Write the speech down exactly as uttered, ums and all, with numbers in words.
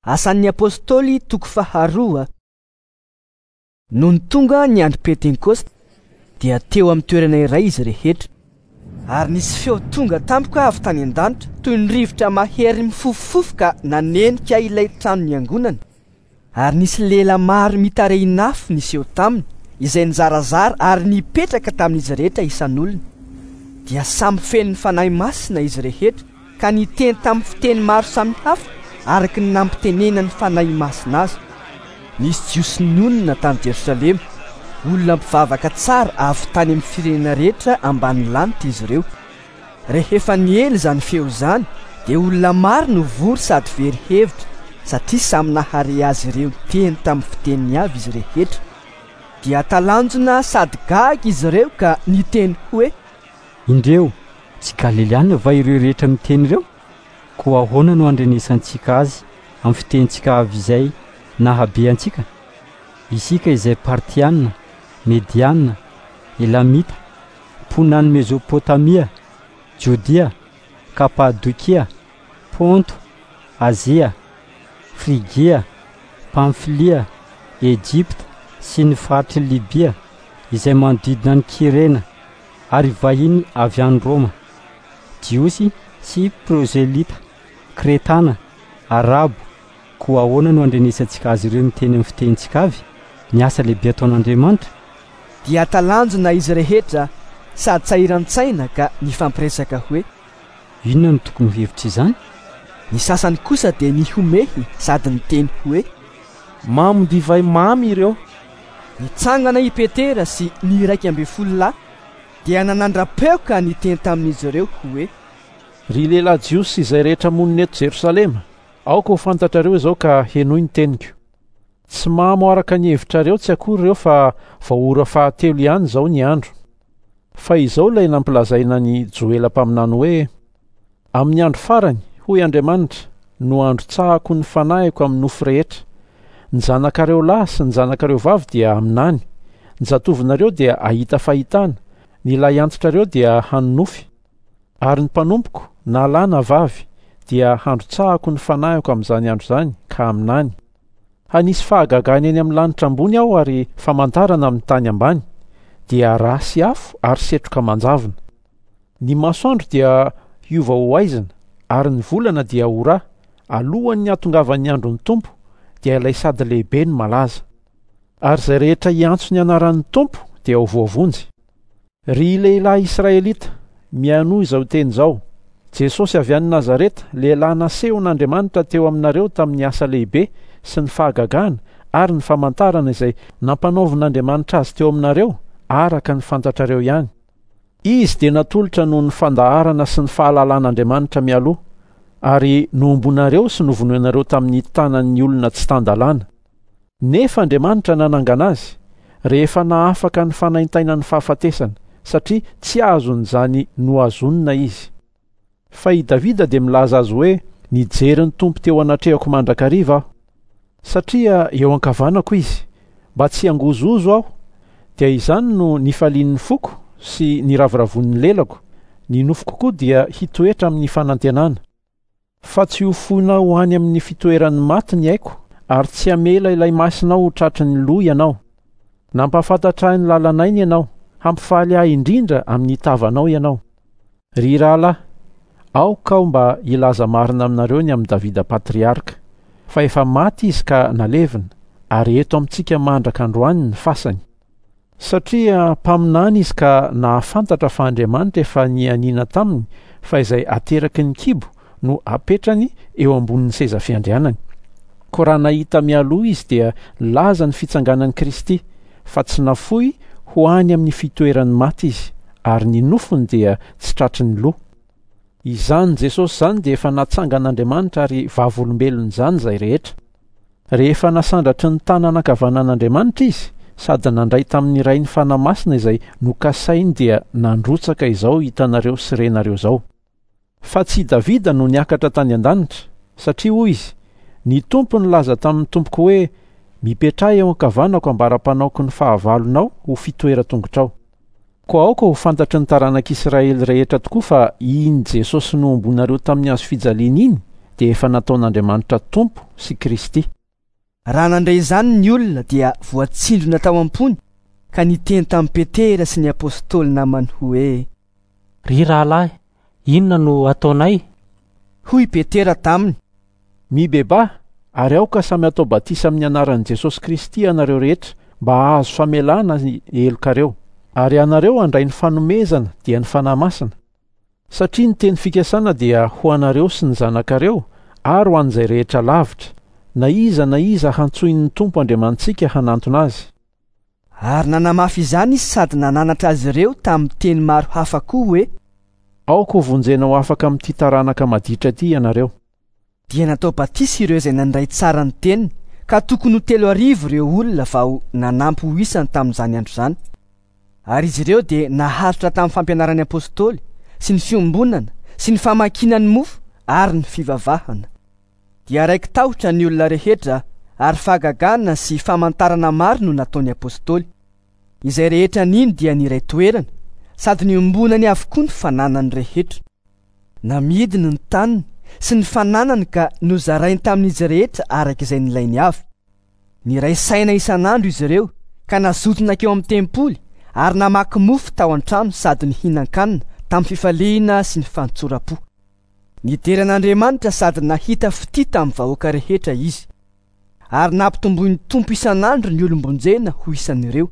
Asan'ny Apôstôly toko faharoa. Nony tonga ny andro Pentekosta dia teo amin'ny toerana iray izy rehetra. Ary nisy feo tonga tampoka avy tany an-danitra toy ny rivotra mahery mifofofofoka nanenika ilay trano niangonana. Ary nisy lela maro mitarehin'afo niseho taminy izay nizarazara ary nipetraka tamin'izy rehetra isan'olona. Dia samy feno ny Fanahy Masina izy rehetra ka niteny tamin'ny fiteny maro samihafa araka ny nampitenenan'ny Fanahy Masina azy. Nisy Jiosy nonina tany Jerosalema, olona mpivavaka tsara avy tany amin'ny firenena rehetra ambany lanitra izy ireo. Rehefa niely izany feo izany dia olona maro no vory sady very hevitra satria samy nahare azy ireo teny tamin'ny fiteniny avy izy rehetra. Dia talanjona sady gaga izy ireo ka niteny hoe: Indreo, tsy Galiliana va ireo rehetra miteny ireo? Koa ahoana no andrenesantsika azy amin'ny fitenintsika avy izay nahabe antsika? Isika izay Partiana, Mediana, Elamita, mponina any Mezopotamia, Jodia, Kapadokia, Ponto, Azia, Frigia, Pamfilia, Ejipta sy ny faritry Libia izay manodidina ny Kirena ary vahiny avy any Roma, Jiosy sy Prozelita, Kretana, Arabo. Koa ahoana no andrenesantsika azy ireo miteny amin'ny fitenintsika avy ny asa lehibe ataon'Andriamanitra? Dia talanjona izy rehetra sady sahiran-tsaina ka nifampiresaka hoe: Inona no tokony ho hevitra izany? Ny sasany kosa dia nihomehy sady niteny hoe: Mamo divay mamy ireo. Nitsangana i Petera sy ny iraika ambin'ny folo lahy dia nanandra-peo ka niteny tamin'izy ireo hoe: Ry lehilahy Jiosy izay rehetra monina eto Jerosalema, aoka ho fantatrareo izao ka henoy ny teniko. Tsy mamo araka ny hevitrareo tsy akory ireo fa vao ora fahatelo ihany izao ny andro. Fa izao ilay nampilazaina ny Joela mpaminany hoe: Amin'ny andro farany, hoy Andriamanitra, no androtsahako ny fanahiko amin'ny nofo rehetra. Ny zanakareo lahy sy ny zanakareo vavy dia haminany, ny zatovonareo dia hahita fahitana, ny lahiantitrareo dia hanonofy. Ary ny mpanompoko, na lahy na vavy, dia handrotsahako ny fanahiko amin'izany andro izany ka haminany. Hanisy fahagagana eny amin'ny lanitra ambony aho ary famantarana amin'ny tany ambany, dia rà sy afo ary setroka manjavona. Ny masoandro dia hiova ho haizina ary ny volana dia ho rà, alohan'ny hahatongavan'ny andron'ny Tompo, dia ilay sady lehibe no malaza. Ary izay rehetra hiantso ny anaran'ny Tompo dia ho voavonjy. Ry lehilahy Israelita, mihainoa izao teny izao: Jesosy avy any Nazareta, lehilahy nasehon'Andriamanitra teo aminareo tamin'ny asa lehibe sy ny fahagagana ary ny famantarana izay nampanaovin'Andriamanitra azy teo aminareo araka ny fantatrareo ihany. Izy dia natolotra noho ny fandaharana sy ny fahalalan'Andriamanitra mialoha, ary nohombonareo sy novonoinareo tamin'ny tanan'ny olona tsy tan-dalàna. Nefa Andriamanitra nanangana azy rehefa nahafaka ny fanaintainan'ny fahafatesana, satria tsy azon'izany nohazonina izy. Fa i Davida dia milaza azy hoe: Nijery ny Tompo teo anatrehako mandrakariva aho, satria eo ankavanako izy, mba tsy hangozohozo aho. Dia izany no nifalian'ny foko sy niravoravoan'ny lelako, ny nofoko koa dia hitoetra amin'ny fanantenana. Fa tsy ho foinao ho any amin'ny fitoeran'ny maty ny aiko, ary tsy hamela ilay masinao ho tratry ny loha ianao. Nampahafantatra ahy ny lalan'aina ianao, hampifaly ahy indrindra amin'ny tavanao ianao. Ry rahalahy, aoka aho mba hilaza marina aminareo ny amin'i Davida patriarka, fa efa maty izy ka nalevina, ary eto amintsika mandraka androany ny fasany. Satria mpaminany izy ka nahafantatra fa Andriamanitra efa nianiana taminy fa izay ateraky ny kibo no apetrany eo ambonin'ny seza fiandrianany. Koa raha nahita mialoha izy dia nilaza ny fitsanganan'i Kristy, fa tsy nafoy ho any amin'ny fitoeran'ny maty izy, ary ny nofony dia tsy tratry ny loha. Izany Jesosy izany dia efa natsangan'Andriamanitra ary vavolombelon'izany izay rehetra. Rehefa nasandratry ny tanana ankavanan'Andriamanitra izy, sady nandray tamin'ny Rainy Fanahy Masina izay nokasainy dia nandrotsaka izao hitanareo sy renareo izao. Fa tsy Davida no niakatra tany an-danitra, satria hoy izy: Ny Tompo nilaza tamin'ny tompoko hoe: Mipetraha eo ankavanako ambara-panaoko ny fahavalonao ho fitoeran-tongotrao. Koa aoka ho fantatry ny taranak'Israely rehetra tokoa fa iny Jesosy nohombonareo tamin'ny hazo fijaliana iny dia efa nataon'Andriamanitra Tompo sy Kristy. Raha nandre izany ny olona dia voatsindrona tao am-pony ka niteny tamin'i Petera sy ny apôstôly namany hoe: Ry rahalahy, inona no ataonay? Hoy Petera taminy: Mibebaha ary aoka samy atao batisa amin'ny anaran'i Jesosy Kristy ianareo rehetra mba hahazo famelana ny helokareo, ary ianareo handray ny fanomezana dia ny Fanahy Masina. Satria ny teny fikasana dia ho anareo sy ny zanakareo ary ho an'izay rehetra lavitra, na iza na iza hantsoin'ny Tompo Andriamanitsika hanantona azy. Ary nanamafy izany izy sady nananatra azy ireo tamin'ny teny maro hafa koa hoe: Aoka ho vonjena ho afaka amin'ity taranaka maditra ity ianareo. Dia natao batisa ireo izay nandray tsara ny teniny, ka tokony ho telo arivo ireo olona vao nanampy ho isany tamin'izany andro izany. Ary izy ireo dia naharitra tamin'ny fampianaran'ny apôstôly sy ny fiombonana sy ny famakiana ny mofo ary ny fivavahana. Dia raiki-tahotra ny olona rehetra ary fahagagana sy famantarana maro no nataon'ny apôstôly. Izay rehetra nino dia niray toerana sady niombonany avokoa ny fananany rehetra. Namidiny ny taniny sy ny fananany ka nozarainy tamin'izy rehetra araka izay nilainy avy. Niray saina isan'andro izy ireo ka nazoto nankeo amin'ny tempoly ary namaky mofo tao an-trano sady nihinan-kanina tamin'ny fifaliana sy ny fantsoram-po. Nidera an'Andriamanitra sady nahita fitia tamin'ny vahoaka rehetra izy. Ary nampitomboin'ny Tompo isan'andro ny olom-bonjena ho isan'ireo.